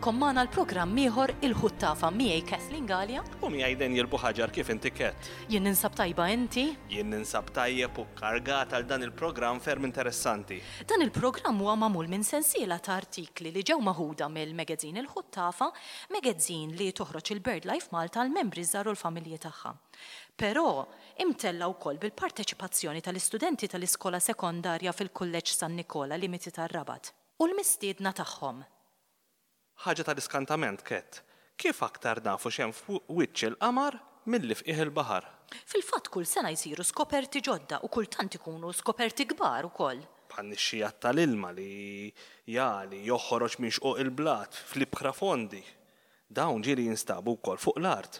Nilqgħukom magħna l-programm ieħor Il-Ħuttafa miegħi Kathleen Galea. U miegħi Daniel Buhaġar kif inti Kat? Jien ninsab tajba inti? Jien ninsab tajjeb u kkargat għal dan il-programm ferm interessanti. Dan il-programm huwa magħmul minn sensiela ta' artikli li ġew maħuda mill-magazine Il-Ħuttafa, magazine li toħroġ il-BirdLife Malta għall-membri ż-żgħar u l-familji tagħha. Però, imtella' wkoll bil-parteċipazzjoni tal-istudenti tal-iskola sekondarja fil-Kulleġġ San Nikola, Limiti tar-Rabat, u l-mistiedna tagħhom. Ħaġa tal-iskantament, Kat. Kif aktar nafu x'hemm f'wiċċ il-qamar milli f'qiegħ il-baħar? Fil-fatt kull sena jsiru skoperti ġodda u kultant ikunu skoperti kbar ukoll. Bħan-nixxigħat tal-ilma li jagħli, joħroġ minn xquq il-blat fl-ibħra fondi. Dawn ġieli jinstabu wkoll fuq l-art.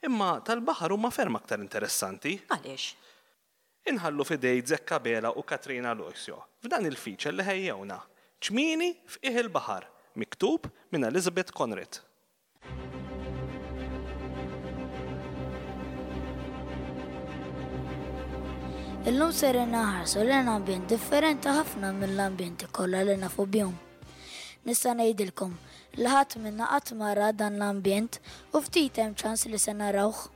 Imma tal-baħar huma ferm aktar interessanti. Għaliex? Inħallu f'idej Zekka Bela u Katrina Aloisio f'dan il-feature li ħejjewna, Ċmieni f'qiegħ il-baħar, miktub minn Elizabeth Conrad. Illum ser inħarsu lejn ambjent differenti ħafna mill-ambjenti kollha li nafu bihom. Nista' ngħidilkom li ħadd minna qatt ma ra dan l-ambjent u ftit hemm ċans li se narawh.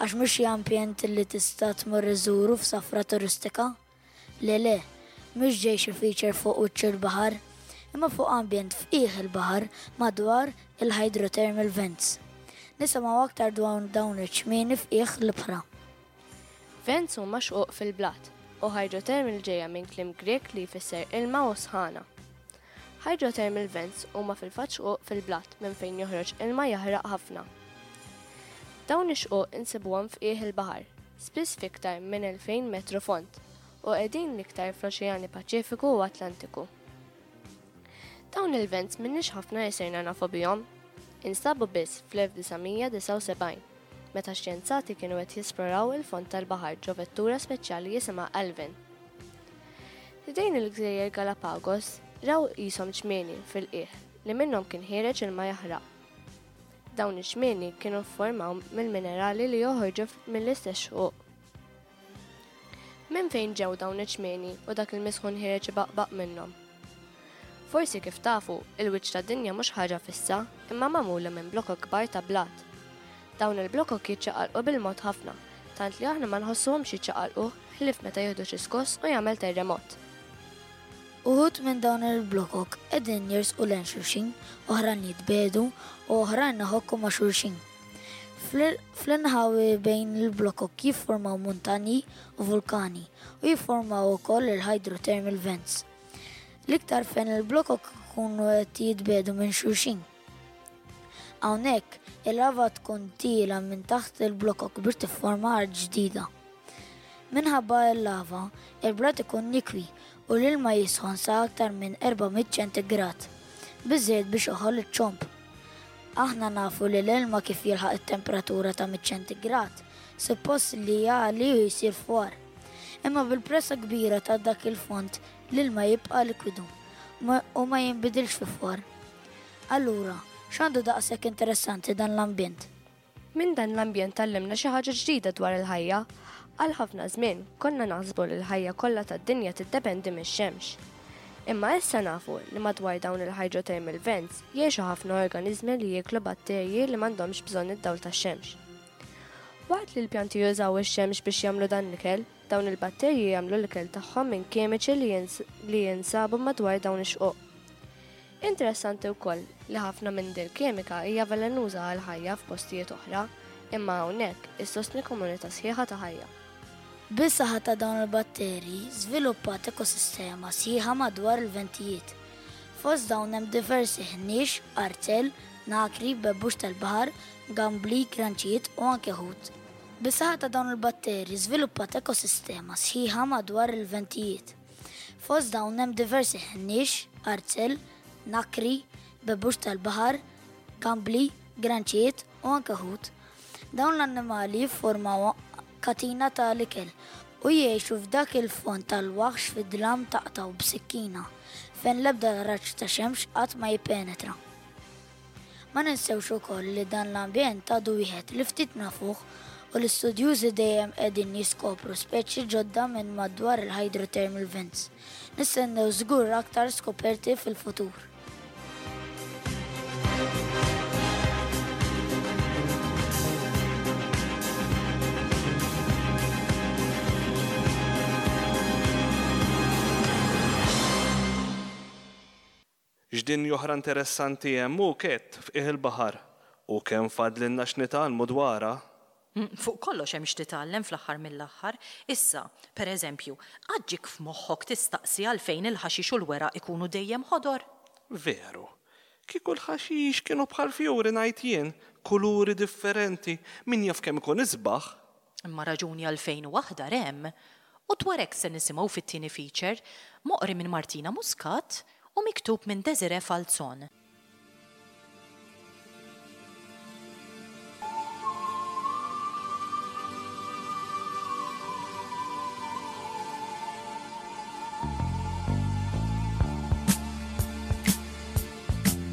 Għax mhux xi ambjent li tista' tmur iżżuru f'safra turistika. Le le, mhux ġej xi feature fuq wiċċ il-baħar, imma fuq ambjent f'qiegħ il-baħar madwar il-hydrothermal vents. Nisimgħu aktar dwar dawn iċ-ċmieni f'qiegħ l-ibħra. Vents huma xquq fil-blat, u hydrothermal ġejja minn kliem Grieg li jfisser ilma u sħana. Hydrothermal vents huma fil-fatt xquq fil-blat minn fejn joħroġ ilma jaħraq ħafna. Dawn ix-xquq insibuhom f'qiegħ il-baħar, spiss f'iktar minn 2000 metru fond, u qegħdin l-iktar fl-Oċeani Paċifiku u Atlantiku. Dawn il-vents m'inniex ħafna li sirna nafu bihom. Instabu biss fl-1979, meta x-xjenzati kienu qed jesploraw il-fond tal-baħar ġo vettura speċjali jisimha Alvin. Ħdejn il-gżejjer Galapagos raw qishom ċmieni fil-qiegħ li minnhom kien ħiereġ ilma jaħraq. Dawn iċ-ċmieni kienu fformaw mill-minerali li joħorġu mill-istess xquq. Minn fejn ġew dawn iċ-ċmieni u dak il-misħun ħiereġ ibaqbaq minnhom? Forsi kif tafu, il-wiċċ tad-dinja mhux ħaġa fissa, imma magħmula minn blokok kbar ta' blat. Dawn il-blokok jiċċaqalqu bil-mod ħafna, tant li aħna ma nħossuhomx jiċċaqalqu ħlief meta jieħdu xi skoss u jagħmel terremot. Uħud minn dawn il-blokok qegħdin jersqu lejn xulxin, oħrajn jitbiegħdu u oħrajn iħokku ma' xulxin. Fl-inħawi bejn il-blokok jiffurmaw muntanji u vulkani u jiffurmaw ukoll il-hydrothermal vents. L-iktar fejn il-blokok ikunu qed jitbiegħdu minn xulxin. Hawnhekk, il-lava tkun tiela minn taħt il-blokok biex tifforma art ġdida. Minħabba l-lava, il-blat ikun nikwi u l-ilma jisħon sa aktar minn 400 ċentigrad, biżżejjed biex iħoll iċ-ċomb. Aħna nafu li l-ilma kif jilħaq it-temperatura ta' 100 ċentigrad, suppost li jagħli u jsir fwar. Imma bil-pressa kbira ta' dak il-fond, l-ilma jibqa' likwidu u ma jinbidilx fi fwar. Allura, x'għandu daqshekk interessanti dan l-ambjent? Minn dan l-ambjent tgħallimna xi ħaġa ġdida dwar il-ħajja. Għal ħafna żmien, konna naħsbu li l-ħajja kollha tad-dinja tiddependi mix-xemx. Imma issa nafu li madwar dawn il-hydrothermal vents jgħixu ħafna organiżmi li jieklu batterji li m'għandhomx bżonn id-dawl tax-xemx. Waqt li l-pjanti jużaw ix-xemx biex jagħmlu dan l-ikel, dawn il-batterji jagħmlu l-ikel tagħhom minn kimiċi li jinsabu madwar dawn ix-xquq. Interessanti wkoll li ħafna minn dil-kimika hija velenuża għall-ħajja f'postijiet oħra, imma hawnhekk issostni komunità sħiħa ta' ħajja. Bis-saħħa ta' dawn il-batterji żviluppat ekosistema sħiħa madwar il-ventijiet. Fost dawn hemm diversi ħniex, arzell, nakri, bebbux tal-baħar, gambli, granċijiet u anke ħut. Bis-saħħa ta' dawn il-batterji żviluppat ekosistema sħiħa madwar il-ventijiet. Fost dawn hemm diversi ħniex, arzell, nakri, bebbux tal-baħar, gambli, granċijiet u anke ħut. Dawn l-annimali jiffurmaw katina ta' l-ikel u jgħixu f'dak il-fond tal-waħx fid-dlam taqtgħu b'sikkina, fejn l-ebda raġġ ta' xemx qatt ma jippenetra. Ma ninsewx ukoll li dan l-ambjent għadu wieħed li ftit nafuh u l-istudjużi dejjem qegħdin jiskopru speċi ġodda minn madwar il-hydrothermal vents. Nistennew żgur aktar skoperti fil-futur. X'dinja oħra interessanti hemm hu Ket f'qiegħ il-baħar u kemm fadlilna x'nitgħallmu dwarha! Fuq kollox hemm x'titgħallem fl-aħħar mill-aħħar. Issa, per eżempju, qatt ġiek f'moħħok tistaqsi għalfejn il-ħaxix u l-weraq ikunu dejjem ħodor? Veru. Kieku l-ħaxix kienu bħall-fjuri ngħid jien, kuluri differenti, min jaf kemm ikun isbaħ! Imma raġuni għalfejn hu aħdar hemm, u dwar hekk se nisimgħu fit-tieni feature, moqri minn Martina Muscat u miktub minn Desiree Falzon.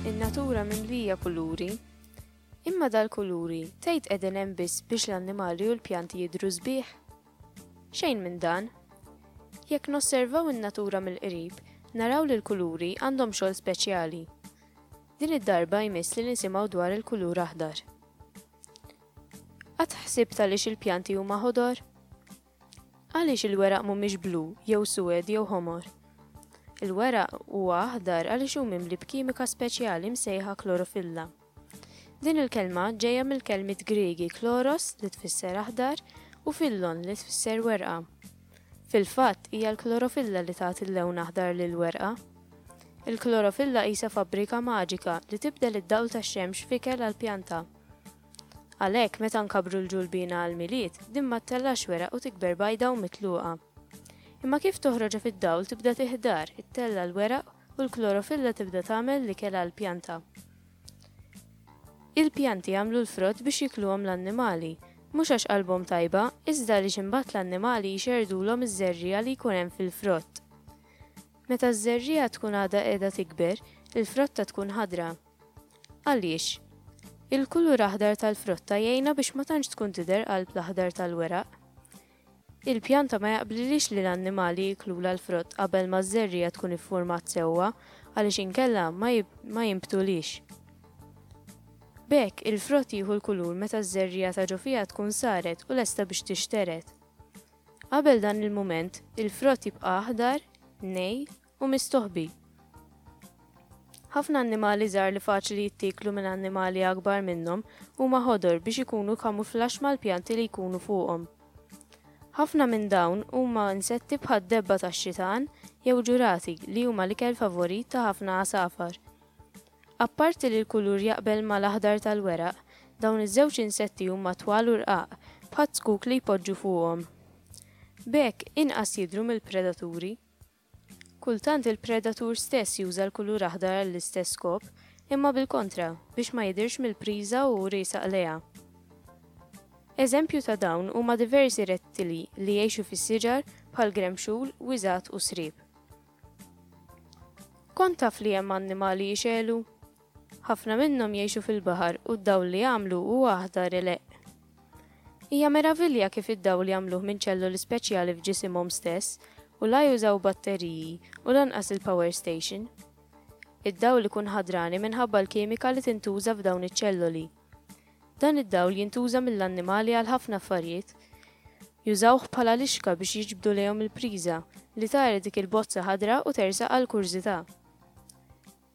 In-natura mimlija kuluri. Imma dal-kuluri tgħid qegħdin hemm biss biex l-annimali u l-pjanti jidhru sbieħ? Xejn minn dan. Jekk nosservaw in-natura mill-qrib, naraw li l-kuluri għandhom xogħol speċjali. Din id-darba jmiss li nisimgħu dwar il-kulur aħdar. Qatt ħsibt għaliex il-pjanti huma ħodor? Għaliex il-weraq mhumiex blu jew suwed jew ħomor? Il-weraq huwa aħdar għaliex hu mimli b'kimika speċjali msejħa klorofilla. Din il-kelma ġejja mill-kelmiet Griegi kloros li tfisser aħdar u fillon li tfisser werqa. Fil-fatt, hija l-klorofilla li tagħti l-lewn aħdar lill-werqa. Il-klorofilla qisha fabbrika maġika li tibdel id-dawl tax-xemx f'ikel għall-pjanta. Għalhekk, meta nkabbru l-ġulbiena għall-Milied, din ma ttellax weraq u tikber bajda u mitluqa. Imma kif toħroġha fid-dawl tibda tiħdar, ittella' l-weraq u l-klorofilla tibda tagħmel l-ikel għall-pjanta. Il-pjanti jagħmlu l-frott biex jikluhom l-annimali, mhux għax qalbhom tajba, iżda għaliex imbagħad l-annimali jxerrdulhom iż-żerriegħa li jkun hemm fil-frott. Meta ż-żerriegħa tkun għadha qiegħda tikber, il-frotta tkun ħadra. Għaliex? Il-kulur aħdar tal-frotta jgħinha biex ma tantx tkun tidher qalb l-aħdar tal-weraq. Il-pjanta ma jaqblilhiex li l-annimali jiklulha l-frott qabel ma ż-żerriegħa tkun iffurmat sewwa għaliex inkella ma ma jinbtulhiex. B'hekk, il-frott jieħu l-kulur meta ż-żerriegħa ta' ġo fiha tkun saret u lesta biex tixtered. Qabel dan il-mument, il-frott jibqa' aħdar, nej u mistoħbi. Ħafna annimali żgħar li faċli jittieklu minn annimali akbar minnhom huma ħodor biex ikunu kamuflaġġ mal-pjanti li jkunu fuqhom. Ħafna minn dawn huma insetti bħad-debba tax-xitan jew ġurati li huma l-ikel favorit ta' ħafna għasafar. Apparti li l-kulur jaqbel mal-aħdar tal-weraq, dawn iż-żewġ insetti huma twal u rqaq, bħaz-zkuk li jpoġġu fuqhom. B'hekk, inqas jidhru mill-predaturi. Kultant il-predatur stess juża l-kulur aħdar għall-istess skop, imma bil-kontra, biex ma jidhirx mill-priża u hu riesaq lejha. Eżempju ta' dawn huma diversi rettili li jgħixu fis-siġar bħal gremxul, wiżgħat u sriep. Kont taf li hemm annimali jixegħlu? Ħafna minnhom jgħixu fil-baħar u d-dawl li jagħmlu huwa aħdar ileqq. Hija meravilja kif id-dawl jagħmluh minn ċelloli speċjali f'ġisimhom stess u la jużaw batteriji u lanqas il-power station. Id-dawl ikun ħadrani minħabba l-kimika li tintuża f'dawn iċ-ċelloli. Dan id-dawl jintuża mill-annimali għal ħafna affarijiet. Jużawh bħala lixka biex jiġbdu lejhom il-priża, li tara dik il-bozza ħadra u tersaq għall-kurżità.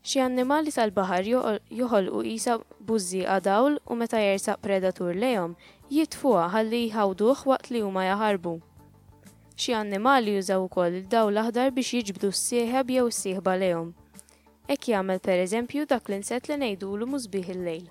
Xi annimali tal-baħar joħolqu qisha bużżieqa dawl u meta jersaq predatur lejhom, jitfuha ħalli jħawduh waqt li huma jaħarbu. Xi annimali jużaw ukoll id-dawl aħdar biex jiġbdu s-sieħeb jew is-sieħba lejhom. Hekk jagħmel pereżempju dak l-insett li ngħidulu musbieħ il-lejl.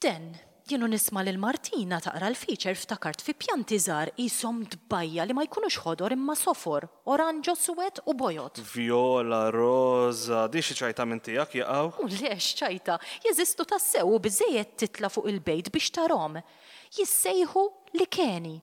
Den, jien u nisma' lil Martina taqra l-feature ftakart fi pjanti żgħar qishom tbajja li ma jkunux ħodor imma sofor, oranġo, suwed u bojod. Vjola, roża, din xi ċajta minn tiegħek jaqaw? U le x'ċajta, jeżistu tassew u biżżejjed titla' fuq il-bejt biex tarhom. Jissejħu likeni.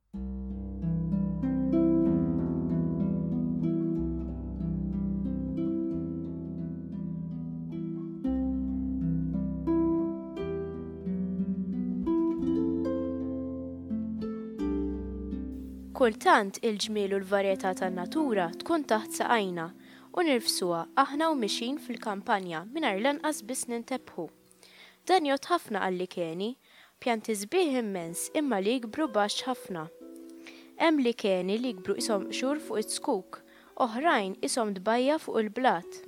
Kultant il-ġmiel u l-varjetà tan-natura tkun taħt saqajna. u nirfsuha aħna u mixjin fil-kampanja mingħajr lanqas biss nintebħu. Dan jgħodd ħafna għal-likeni, pjanti sbieħ immens imma li jikbru baxx ħafna. Hemm likeni li jikbru qishom qxur fuq iz-zkuk, oħrajn qishom tbajja' fuq il-blat.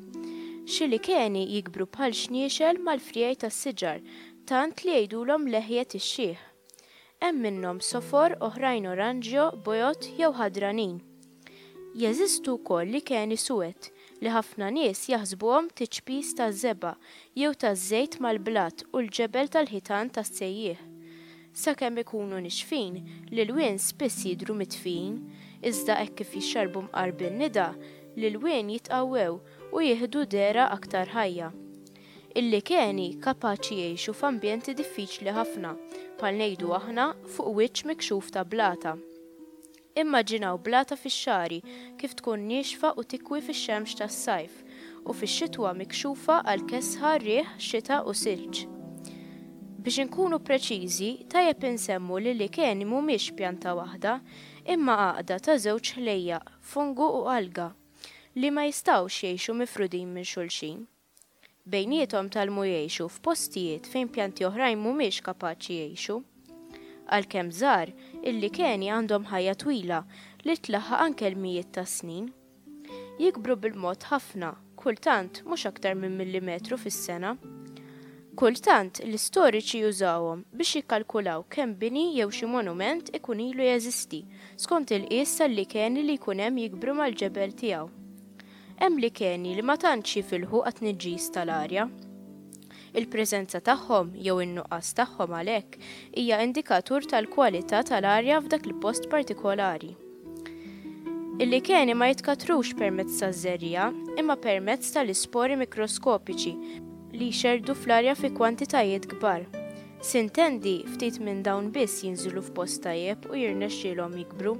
Xi likeni jikbru bħal xniexel mal-friegħi tas-siġar tant li jgħidulhom leħjet ix-xiħ. Hemm minnhom sofor, oħrajn oranġjo, bojod jew ħadranin. Jeżistu wkoll likeni suwed li ħafna nies jaħsbuhom tiċpis taż-żebgħa jew taż-żejt mal-blat u l-ġebel tal-ħitan tas-sejjieħ. Sakemm ikunu nixfin, l-ilwien spiss jidhru mitfijin, iżda hekk kif jixxarbu mqar bin-nida, l-ilwien jitqawwew u jieħdu dehra aktar ħajja. Il-likeni kapaċi jgħixu f'ambjenti diffiċli ħafna, bħal ngħidu aħna fuq wiċċ mikxuf ta' blata. Immaġinaw blata fix-xagħri kif tkun niexfa u tikwi fix-xemx tas-sajf, u fix-xitwa mikxufa għal kesħa, riħ, xita u silġ. Biex inkunu preċiżi, tajjeb insemmu li l-likeni mhumiex pjanta waħda, imma għaqda ta' żewġ ħlejjaq, fungu u alga, li ma jistgħux jgħixu mifrudin minn xulxin. Bejniethom tgħallmu jgħixu f'postijiet fejn pjanti oħrajn mhumiex kapaċi jgħixu. Għalkemm żgħar, il-likeni għandhom ħajja twila li tlaħħaq anke l-mijiet ta' snin. Jikbru bil-mod ħafna, kultant mhux aktar minn millimetru fis-sena. Kultant, l-istoriċi jużawhom biex jikkalkulaw kemm bini jew xi monument ikun ilu jeżisti, skont il-qies tal-likeni li jkun hemm jikbru mal-ġebel tiegħu. Hemm likeni li ma tantx jifilħu għat-tniġġis tal-arja. Il-preżenza tagħhom, jew in-nuqqas tagħhom għalhekk, hija indikatur tal-kwalità tal-arja f'dak il-post partikolari. Il-likeni ma jitkattrux permezz taż-żerriegħa, imma permezz tal-ispori mikroskopiċi li jxerrdu fl-arja fi kwantitajiet kbar. Sintendi, ftit minn dawn biss jinżlu f'post tajjeb u jirnexxielhom jikbru.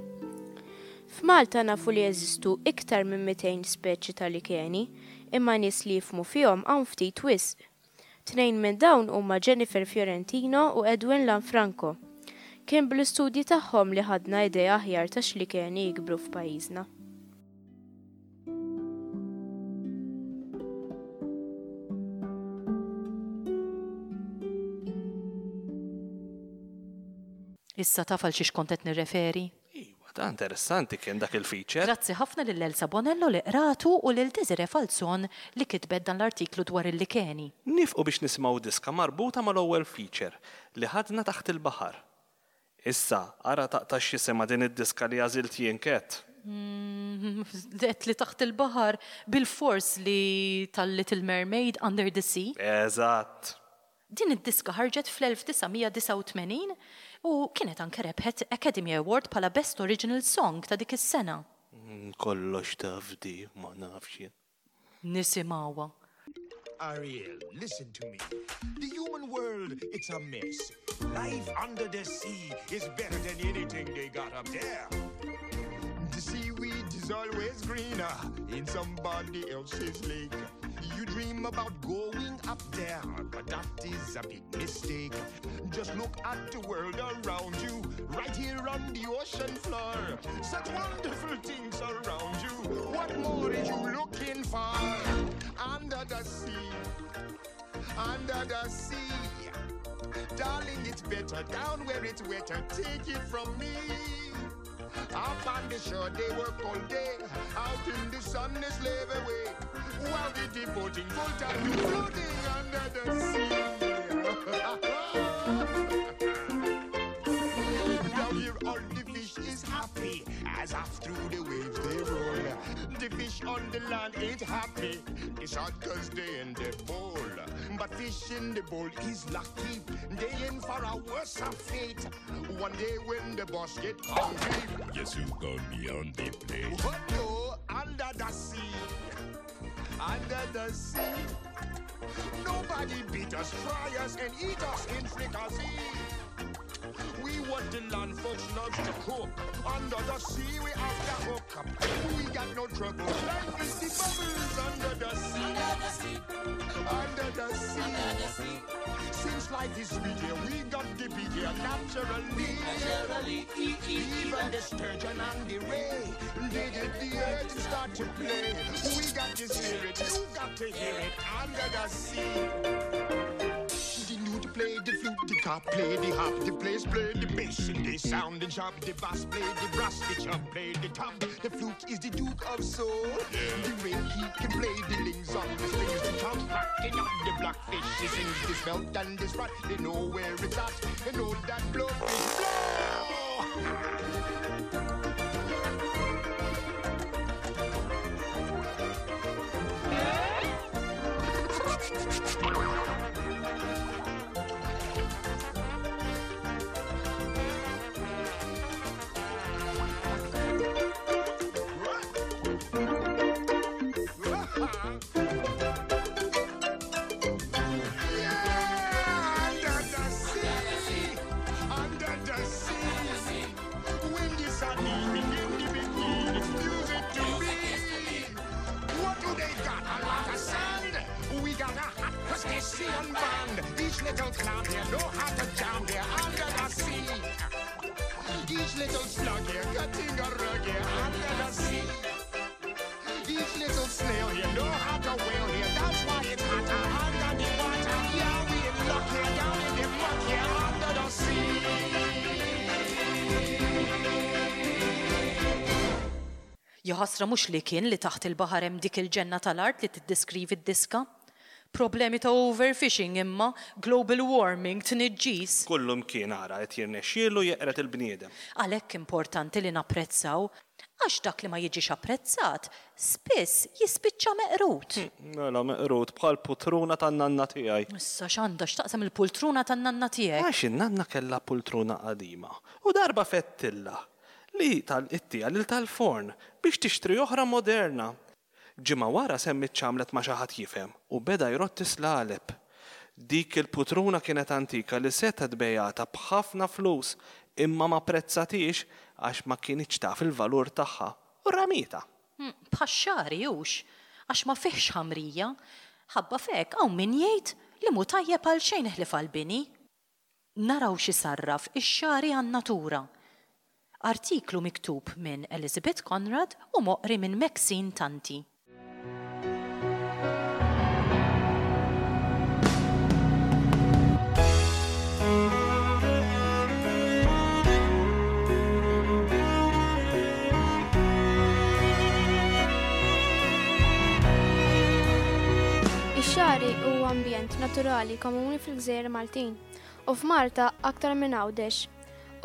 F'Malta nafu li jeżistu iktar minn 200 speċi ta' likeni, imma nies li jifhmu fihom hawn ftit wisq. Tnejn minn dawn huma Jennifer Fiorentino u Edwin Lanfranco. Kien bl-istudji tagħhom li ħadna idea aħjar ta' x'likeni jikbru f'pajjiżna. Issa taf għal xiex kont qed nirreferi? Iwa, ta' interessanti kien dak il-feature. Grazzi ħafna lil Elsa Bonello li qratu u lil Desiree Falzon li kitbet dan l-artiklu dwar il-likeni. Niefqu biex nisimgħu diska marbuta mal-ewwel feature li ħadna taħt il-baħar. Issa, ara taqtax x'jisimha din id-diska li għażilt jien Kat. Għedt li taħt il-baħar, bilfors li tal-Little Mermaid, Under the Sea. Eżatt! Din id-diska ħarġet fl-1989 u kienet anke rebħet Academy Award bħala Best Original Song ta' dik is-sena. Kollox taf di, ma nafx jien. Nisimgħuha. Ariel, listen to me. The human world, it's a mess. Life under the sea is better than anything they got up there. The seaweed is always greener in somebody else's lake. You dream about going up there, but that is a big mistake. Just look at the world around you, right here on the ocean floor. Such wonderful things around you. What more is you looking for? Under the sea, under the sea. Darling, it's better down where it's wetter. Take it from me. Up on the shore they work all day. Out in the sun they slave away. While they devoting full time to floating under the sea. Down here all the fish is happy as off through the waves they roll. The fish on the land ain't happy. It's hot 'cause they in the bowl. But fish in the bowl is lucky. They in for a worse fate. One day when the boss get hungry, guess who gonna be on the plate? What no, under the sea. Under the sea. Nobody beat us, fry us, and eat us in fricassee. We want the land folks love to cook. Under the sea we have the hook up. We got no trouble. Life is the bubbles under the sea. Under the sea. Under the sea. Under the sea. Since life is sweet here, we got to be here naturally. Naturally. Even the sturgeon and the ray, they did the earth and start got to play. We got the spirit, you got to hear it under the sea. The lute play the flute, the cop play the hop, the place play the bass, and the sound and sharp, the bass play the brass, the chub play the top. The flute is the duke of soul. The ray he can play the lings on the strings, the top rocking on the blackfish. He sings the smelt and the sprat. They know where it's at. They know that blowfish blow. Each little clown here know how to jam here under the sea. Each little slug here cutting a rug here under the sea. Each little snail here know how to wail here. That's why it's hotter under the water. Yeah, we in luck here down in the muck here under the sea. Jaħasra mhux li kien li taħt il-baħar hemm dik il-ġenna tal-art li tiddeskrivi d-diska. Problemi ta' overfishing imma, global warming, tniġġis. Kullumkien ara qed jirnexxielu jeqred il-bniedem. Għalhekk importanti li napprezzaw. Għax dak li ma jiġix apprezzat, spiss jispiċċa meqrud. Mela meqrud bħal putruna tan-nanna tiegħi. Issa x'għandha x'taqsam il-pultruna tan-nanna tiegħek? Għax in-nanna kellha pultruna qadima u darba fettilha li tal-ittiha lil tal-forn biex tixtri oħra moderna. Ġimgħa wara semmiet x'għamlet ma' xi ħadd jifhem u beda jrodd is-slaleb. Dik il-putruna kienet antika li setgħet bejgħatha b'ħafna flus imma ma pprezzatiex għax ma kinitx taf il-valur tagħha u ramietha. Bħax-xagħri hux, għax ma fihx ħamrija. Ħabba f'hekk hawn min jgħid li mhu tajjeb għal xejn ħlief għall-bini. Naraw x'isarraf ix-xagħri għan-natura. Artiklu miktub minn Elizabeth Conrad u moqri minn Maxine Tanti. Ix-xagħri huwa ambjent naturali komuni fil-gżejjer Maltin. u f'Malta aktar minn Għawdex.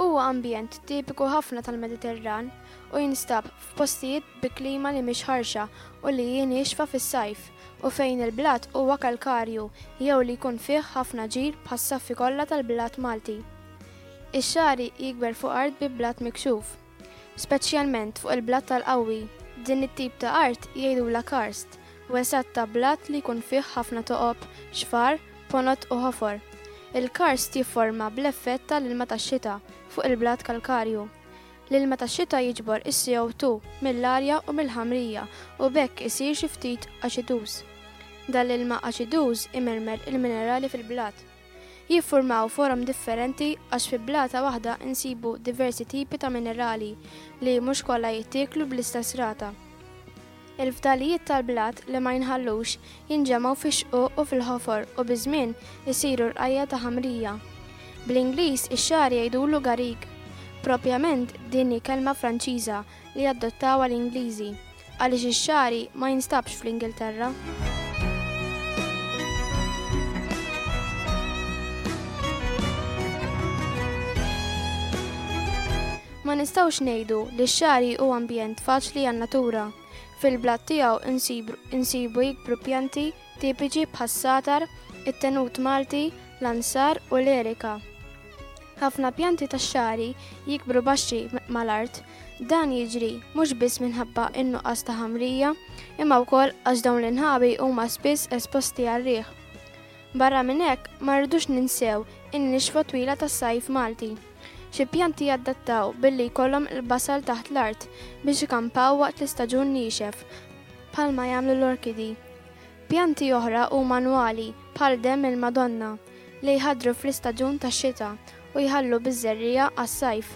Huwa ambjent tipiku ħafna tal-Mediterran u jinstab f'postijiet bi klima li mhix ħarxa u li hi niexfa fis-sajf u fejn il-blat huwa kalkarju jew li jkun fih ħafna ġir bħas-saffi kollha tal-blat Malti. Ix-xagħri jikber fuq art bi blat mikxuf. Speċjalment fuq il-blat tal-qawwi. Din it-tip ta' art jgħidulha karst, wesgħat ta' blat li jkun fih ħafna toqob, xfar, ponot u ħofor. Il-karst jifforma bl-effett tal-ilma tax-xita fuq il-blat kalkarju. L-ilma tax-xita jiġbor is-CO2 mill-arja u mill-ħamrija u b'hekk isir xi ftit aċiduż. Dan l-ilma aċiduż imermer il-minerali fil-blat. Jiffurmaw forom differenti għax fi blata waħda nsibu diversi tipi ta' minerali li mhux kollha jittieklu bl-istess rata. Il-fdalijiet tal-blat li ma jinħallux jinġemgħu fix-xquq u fil-ħofor u biż-żmien isiru rqajja' ta' ħamrija. Bl-Ingliż ix-xagħar jgħidulu garrigue. Propjament din hi kelma Franċiża li adottawha l-Ingliżi, għaliex ix-xagħri ma jinstabx fl-Ingilterra. Ma nistgħux ngħidu li x-xagħri hu ambjent faċli għan-natura. Fil-blat tiegħu insibu jikbru pjanti tipiċi bħas-sagħtar, it-tenut Malti, l-ansar u l-erika. Ħafna pjanti tax-xagħri jikbru baxxi mal-art. Dan jiġri mhux biss minħabba n-nuqqas ta' ħamrija, imma wkoll għax dawn l-inħawi huma spiss esposti għar-riħ. Barra minn hekk, ma rridux ninsew in-nixfa twila tas-sajf Malti. Xi pjanti jadattaw billi jkollhom il-basal taħt l-art biex ikampaw waqt l-istaġun niexef, bħalma jagħmlu l-orkidi. Pjanti oħra huma annwali, bħal demm il-Madonna, li jħaddru fl-istaġun tax-xita u jħallu biż-żerriegħa għas-sajf.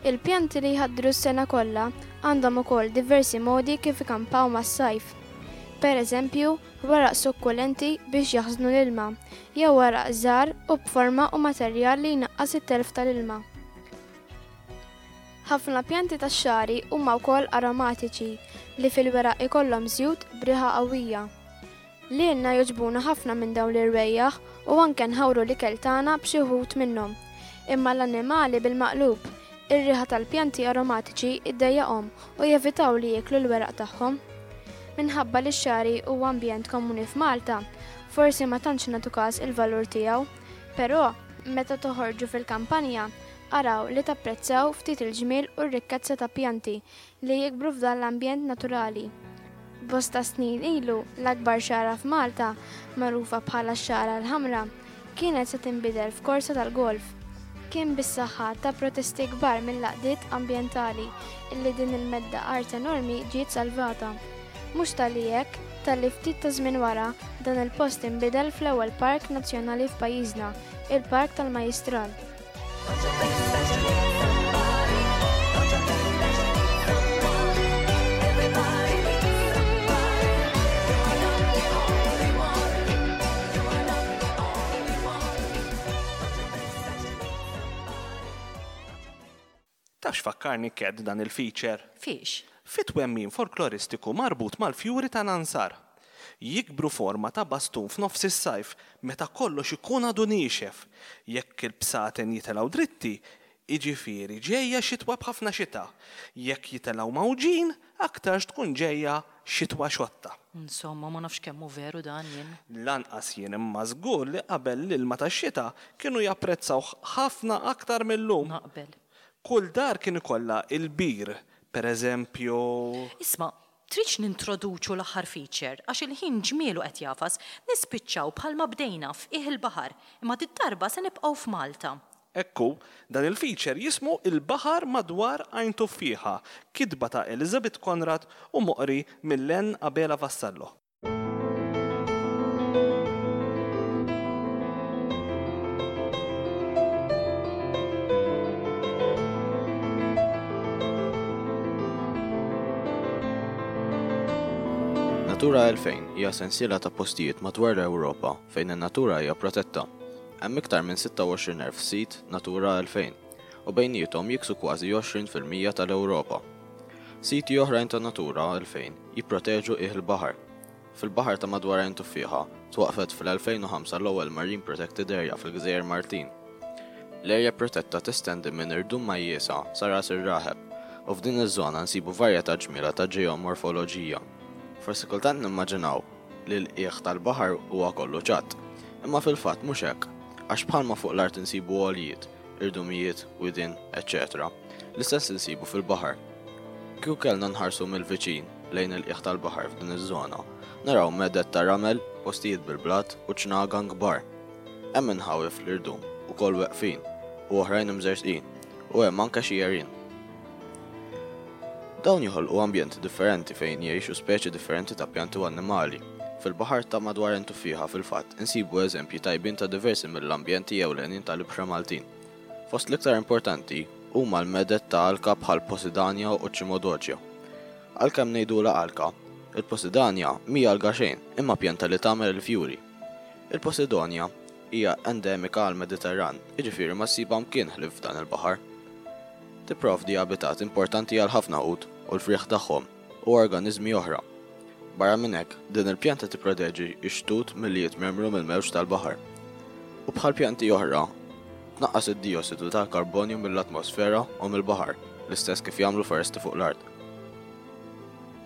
Il-pjanti li jħaddru s-sena kollha għandhom ukoll diversi modi kif ikampaw mas-sajf. Per eżempju, weraq sukkulenti biex jaħżnu l-ilma, jew weraq żgħar u b'forma u materjal li jnaqqas it-telf tal-ilma. Ħafna pjanti tax-xagħri huma wkoll aromatiċi li fil-weraq ikollhom żjut b'riħa qawwija. Lilna jogħġbuna ħafna minn dawn l-irwejjaħ u anke nħawru l-ikel tagħna b'xi wħud minnhom. Imma l-annimali bil-maqlub, ir-riħa tal-pjanti aromatiċi ddejjaqhom u jevitaw li jieklu l-weraq tagħhom. Minħabba li x-xagħri huwa ambjent komuni f'Malta, forsi ma tantx nagħtu każ il-valur tiegħu. Però, meta toħorġu fil-kampanja, araw li tapprezzaw ftit il-ġmiel u r-rikkezza ta' pjanti li jikbru f'dan l-ambjent naturali. Bosta snin ilu, l-akbar xagħra f'Malta, magħrufa bħala x-Xagħra l-Ħamra, kienet se tinbidel f'korsa tal-golf. Kien bis-saħħa ta' protesti kbar mill-għaqdiet ambjentali illi din il-medda art enormi ġiet salvata. Mhux talli hekk, talli ftit ta' żmien wara, dan il-post inbidel fl-ewwel park nazzjonali f'pajjiżna, il-Park tal-Majjistral. Taf x'fakkarni Cat dan il-feature? Fiex? Fi twemmin folkloristiku marbut mal-fjuri ta' Nansar. Jikbru forma ta' bastun f'nofs is-sajf meta kollox ikun għadu niexef. Jekk il-bsaten jitilgħu dritti, jiġifieri ġejja xitwa b'ħafna xita. Jekk jitilgħu mgħawġin, aktarx tkun ġejja xitwa xotta. Insomma, ma nafx kemm hu veru dan jien. Lanqas jien imma żgur li qabel l-ilma tax-xita kienu japprezzawh ħafna aktar mil-lum. Naqbel. Kull dar kien ikollha il-bir, per eżempju. Isma', Tridx nintroduċu l-aħħar feature, għax il-ħin ġmielu qed jagħfas, nispiċċaw bħalma bdejna, f'qiegħ il-baħar, imma did-darba se nibqgħu f'Malta. Hekk hu, dan il-feature jismu Il-Baħar Madwar Għajn Tuffieħa, kitba ta' Elizabeth Conrad u moqri minn Len Abela Vassallo. Natura 2000 hija sensiela ta' postijiet madwar l-Ewropa fejn in-natura hija protetta. Hemm iktar minn 26,000 sit Natura 2000 u bejniethom jiksu kważi 20% tal-Ewropa. Siti oħrajn ta' Natura 2000 jipproteġu qiegħ il-baħar. Fil-baħar ta' madwar Għajn Tuffieħa, twaqqfet fl-2005 l-ewwel Marine Protected Area fil-Gżejjer Maltin. L-erja protetta testendi minn Irdum Majjiesa sa Ras ir-Raħeb u f'din iż-żona nsibu varjetà ġmiela ta' ġeomorfoloġija. Forsi kultant nimmaġinaw li l-qiegħ tal-baħar huwa kollu ċatt, imma fil-fatt mhux hekk, għax bħalma fuq l-art insibu għoljiet, irdumijiet, widien, eċċetera, l-istess insibu fil-baħar. Kieku kellna nħarsu mill-viċin lejn il-qiegħ tal-baħar f'din iż-żona, naraw meded ta' ramel, postijiet bil-blat u ċnagan kbar. Hemm inħawi fl-irdum ukoll weqfin u oħrajn imżerżqin, u hemm anke xi għerien. Dawn joħolqu ambjenti differenti fejn jgħixu speċi differenti ta' pjanti u annimali. Fil-baħar ta' madwar Għajn Tuffieħa fil-fatt insibu eżempji tajbin ta' diversi mill-ambjenti ewlenin tal-ibħra Maltin. Fost l-iktar importanti huma l-meded ta' alka bħal Posidania u Cimodocia. Għalkemm ngħidulha alka, il-Posidania mhi alga xejn imma pjanta li tagħmel il-fjuri. Il-Posidonia hija endemika għall-Mediterran, jiġifieri ma ssibha mkien ħlief f'dan il-baħar. Tipprovdi abitat importanti għal ħafna ħut u l-frieħ tagħhom u organiżmi oħra. Barra minn hekk, din il-pjanta tipproteġi x-xtut milli jitmermru mill-mewġ tal-baħar. U bħal pjanti oħra, tnaqqas id-diossidu tal-karbonju mill-atmosfera u mill-baħar, l-istess kif jagħmlu foresti fuq l-art.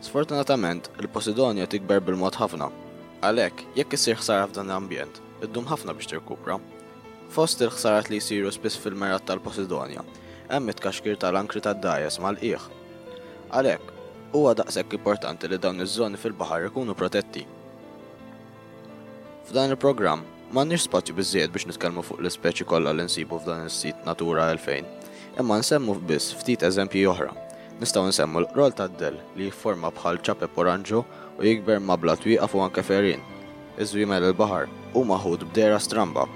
Sfortunatament, il-Posidonia tikber bil-mod ħafna. Għalhekk, jekk issir ħsara f'dan l-ambjent, iddum ħafna biex tirkupra. Fost il-ħsarat li jsiru spiss fil-mergħat tal-Posidonia, hemm it-tkaxkir tal-ankri tad-dgħajjes mal-qiegħ. Għalhekk, huwa daqshekk importanti li dawn iż-żoni fil-baħar ikunu protetti. F'dan il-programm, m'għandniex spazju biżżejjed biex nitkellmu fuq l-ispeċi kollha li nsibu f'dan is-sit Natura 2000, imma nsemmu biss ftit eżempji oħra. Nistgħu nsemmu l-qroll tad-dell li jifforma bħal ċapep oranġo u jikber ma' blat wieqaf u anke f'għerien. Iż-żwiemel il-baħar huma ħut b'dehra stramba.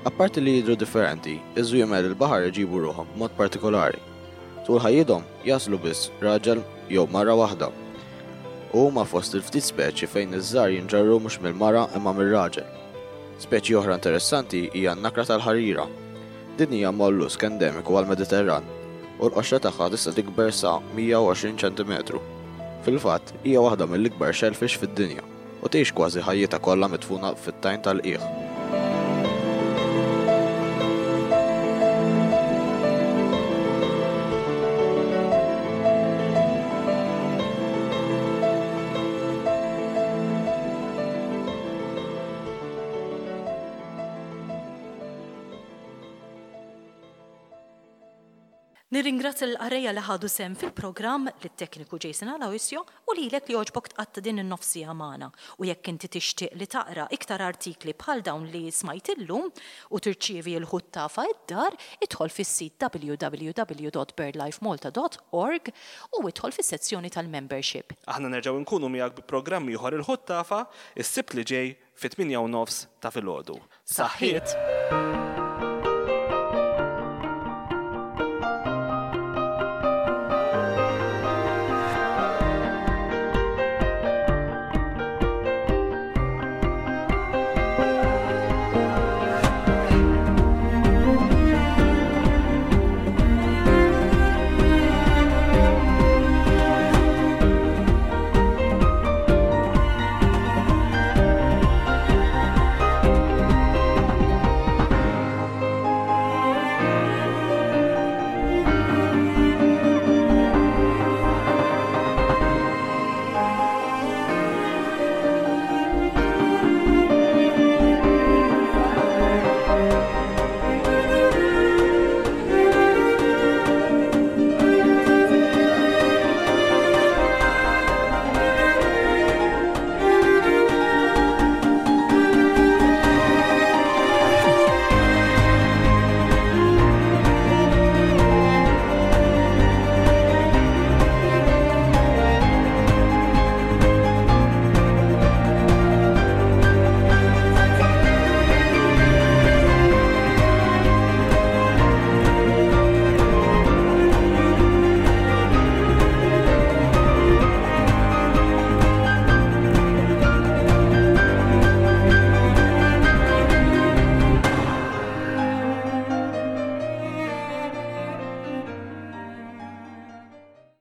Apparti li jidhru differenti, iż-żwiemel il-baħar iġibu ruħhom b'mod partikolari. Tul ħajjithom jagħżlu biss raġel jew mara waħda. U huma fost il-ftit speċi fejn iż-żgħar jinġarru mhux mill-mara imma mir-raġel. Speċi oħra interessanti hija n-nakra tal-ħarira. Din hija mollusk endemiku għall-Mediterran u l-qoxra tagħha tista' tikber sa 120 ċentimetru. Fil-fatt, hija waħda mill-ikbar shellfish fid-dinja u tgħix kważi ħajjitha kollha midfuna fit-tajn tal-qiegħ. Nirringrazzja lill-qarrejja li ħadu sehem fil-programm, lit-tekniku Jason Aloisio u lilek li għoġbok tqatta' din in-nofs siegħa magħna. U jekk inti tixtieq li taqra iktar artikli bħal dawn li smajt illum u tirċievi l-ħuttafa id-dar, idħol fis-sit www.birdlifemalta.org u idħol fis-sezzjoni tal-membership. Aħna nerġgħu nkunu miegħek bi programm ieħor il-Ħuttafa, is-Sibt li ġej fit-8 u nofs ta' filgħodu. Saħħiet!